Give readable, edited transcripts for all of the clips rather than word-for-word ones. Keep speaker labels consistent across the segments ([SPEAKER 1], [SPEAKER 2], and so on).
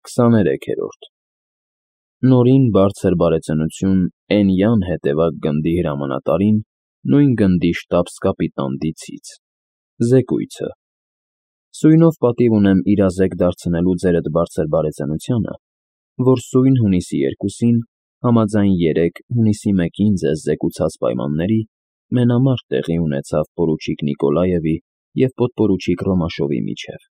[SPEAKER 1] 23-րդ Նորին բարձր բարեծնություն Էնյան հետևակ գնդի հրամանատարին, նույն գնդի շտաբս֊կապիտան Դիցից, զեկույցը. Սույնով պատիվ ունեմ իրազեկ դարձնելու ձերդ բարձր բարեծանությանը, որ սույն հունիսի 2-ին, համաձայն 3 հունիսի 1-ին ձեզ զեկուցած պայմանների, մենամարտ տեղի ունեցավ պորուչիկ Նիկոլաևի և պոդպորուչիկ Ռոմաշովի միջև։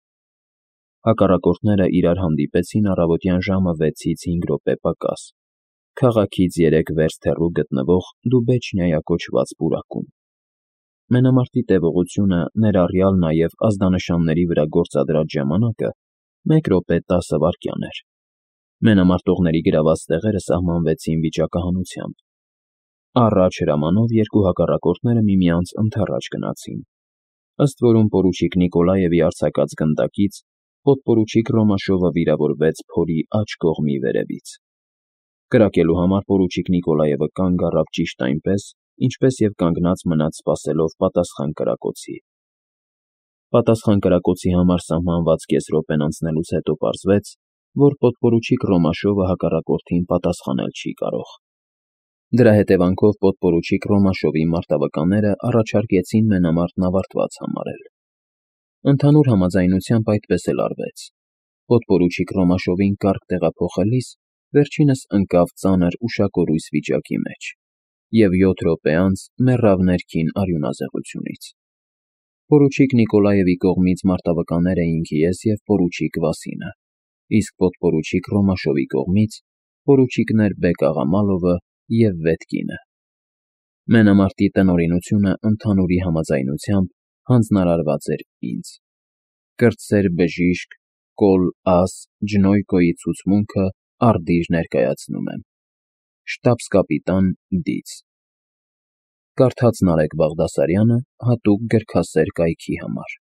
[SPEAKER 1] Հակառակորդները իրար հանդիպեցին առավոտյան ժամը 6-ից 5 րոպե պակաս, քաղաքից 3 վերստ հեռու գտնվող Դուբեչնիա կոչված պուրակում։ Մենամարտի տևողությունը, ներառյալ նաև ազդանշանների վրա գործադրած ժամանակը, 1 րոպե 10 վայրկյան էր։ Մենամարտողների գրաված տեղերը սահմանվեցին վիճակահանությամբ։ Առաջ հրամանով երկու հակառակորդները միմյանց ընդառաջ գնացին, ըստ որում պորուչիկ Նիկոլաևի արձակած գնդակից պոդպորուչիկ Ռոմաշովը վիրավորվեց փորի աջ կողմի վերևից։ Կրակելու համար պորուչիկ Նիկոլաևը կանգ առավ ճիշտ այնպես, ինչպես և կանգնած մնաց սպասելով պատասխան կրակոցի։ Պատասխան կրակոցի համար սահմանված կես րոպեն անցնելուց հետո պարզվեց, որ պոդպորուչիկ Ռոմաշովը հակառակորդին պատասխանել չի կարող։ Դրա հետևանքով պոդպորուչիկ Ռոմաշովի մարտավականները առաջարկեցին մենամարտն ավարտված համարել։ Ընդհանուր համաձայնությամբ այդպես էլ արվեց։ Պոդպորուչիկ Ռոմաշովին կարգ տեղափոխելիս վերջինս ընկավ ծանր ուշակորույս վիճակի մեջ և 7 րոպե անց մեռավ ներքին արյունազեղությունից։ Պորուչիկ Նիկոլաևի կողմից մարտավականներ էին Կիես և պորուչիկ Վասինը, իսկ պոդպորուչիկ Ռոմաշովի կողմից պորուչիկներ Բեկ-Աղամալովը և Վետկինը։ Մենամարտի տնօրինությունը ընդհանուրի համաձայնությամբ հանձնարարված էր ինձ։ Կրտսեր բժիշկ Կոլ-Աս Ջնոյկոյի ցուցմունքը արդիժ ներկայացնում եմ։ Շտաբս֊կապիտան Դից։ Կարդաց Նարեկ Բաղդասարյանը հատուկ գրքասեր կայքի համար։